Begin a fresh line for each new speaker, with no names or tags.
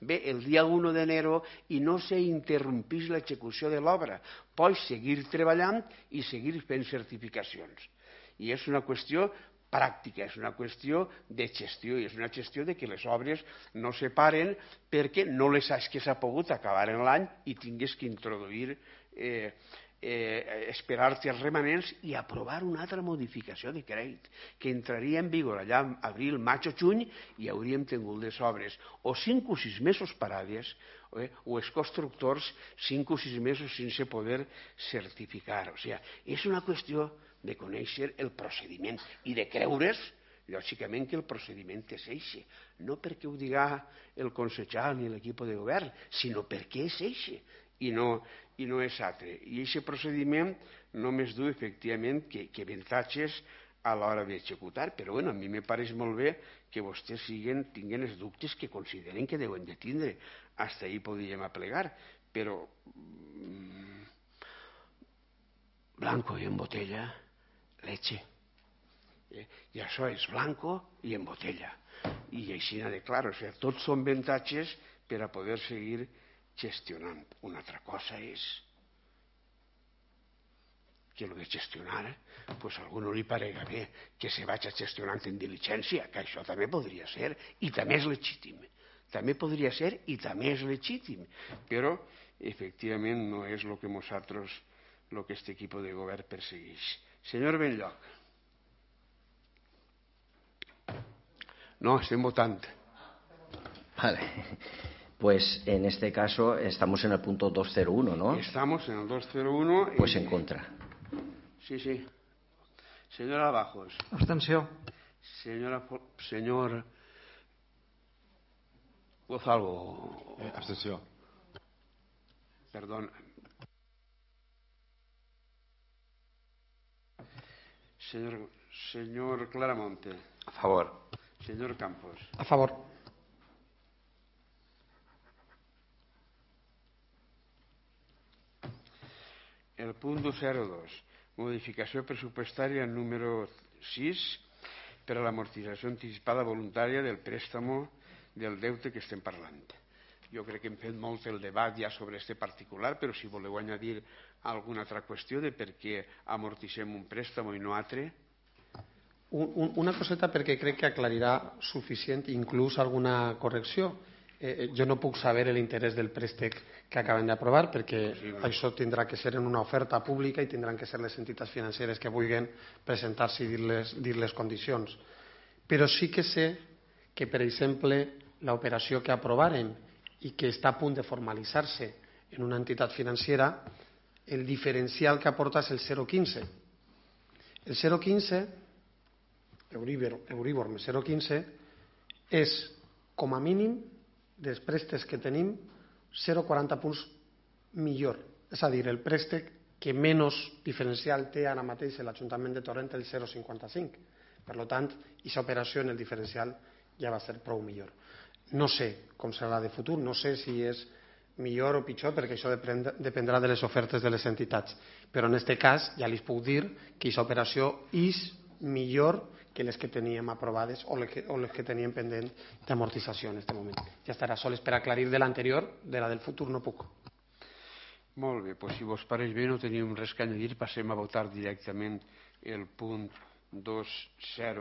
ve el dia 1 d'enero i no s'interrompís l'execució de l'obra. Pots seguir treballant i seguir fent certificacions. I és una qüestió pràctica, és una qüestió de gestió i és una gestió de que les obres no se paren perquè no les has que s'ha pogut acabar en l'any i tingués que introduir esperar-te els remanents i aprovar una altra modificació de crèdit que entraria en vigor allà en abril, maig o juny i hauríem tingut les obres o 5 o 6 mesos parades o els constructors 5 o 6 mesos sense poder certificar. O sigui, és una qüestió de conèixer el procediment i de creure's, lògicament, que el procediment és eixe. No perquè ho diga el consellal ni l'equip de govern, sinó perquè és eixe i no és altre. I aquest procediment només du, efectivament, que avantatges a l'hora d'executar, però bueno, a mi me pareix molt bé que vostès tinguen els dubtes que consideren que deuen de tindre. Hasta ahí podríem aplegar, però blanco i en botella, leche. I això és blanco i en botella. I així de clar, o sigui, tots són avantatges per a poder seguir gestionant. Una altra cosa és que el de gestionar, pues a algú no li parega bé que se vagi gestionant en diligència, que això també podria ser i també és legítim. També podria ser i també és legítim, però efectivament no és el que nosaltres, el que aquest equip de govern persegueix. Senyor Benlloc. No, estem votant.
Vale. Pues en este caso estamos en el punto 201, ¿no?
Estamos en el 201.
Pues en contra.
Sí, sí. Señora Bajos.
Abstenció.
Señor Gonzalo.
Abstenció.
Perdón. Señor Claramonte.
A favor.
Señor Campos.
A favor.
El punt 202, modificació pressupostària número 6 per a l'amortització anticipada voluntària del préstamo del deute que estem parlant. Jo crec que hem fet molt el debat ja sobre este particular, però si voleu añadir alguna altra qüestió de per què amortitzem un préstamo i no altre.
Una coseta perquè crec que aclarirà suficient, inclús alguna correcció. Jo no puc saber l'interès del préstec que acaben d'aprovar perquè això tindrà que ser en una oferta pública i tindran que ser les entitats financeres que vulguin presentar-se i dir les condicions. Però sí que sé que, per exemple, l'operació que aprovaren i que està a punt de formalitzar-se en una entitat financera, el diferencial que aporta és el 0,15. El 0,15, Euribor més 0,15, és, com a mínim, dels préstecs que tenim, 0,40 punts millor. És a dir, el préstec que menys diferencial té ara mateix l'Ajuntament de Torrent, el 0,55. Per tant, aquesta operació en el diferencial ja va ser prou millor. No sé com serà de futur, no sé si és millor o pitjor, perquè això dependrà de les ofertes de les entitats. Però en aquest cas ja li puc dir que aquesta operació és millor que les que teníem aprovades o les que teníem pendent d'amortització en aquest moment. Ja estarà sols per aclarir de l'anterior, de la del futur no puc.
Molt bé, doncs si vos pareix bé no tenim res que añadir, passem a votar directament el punt 2.0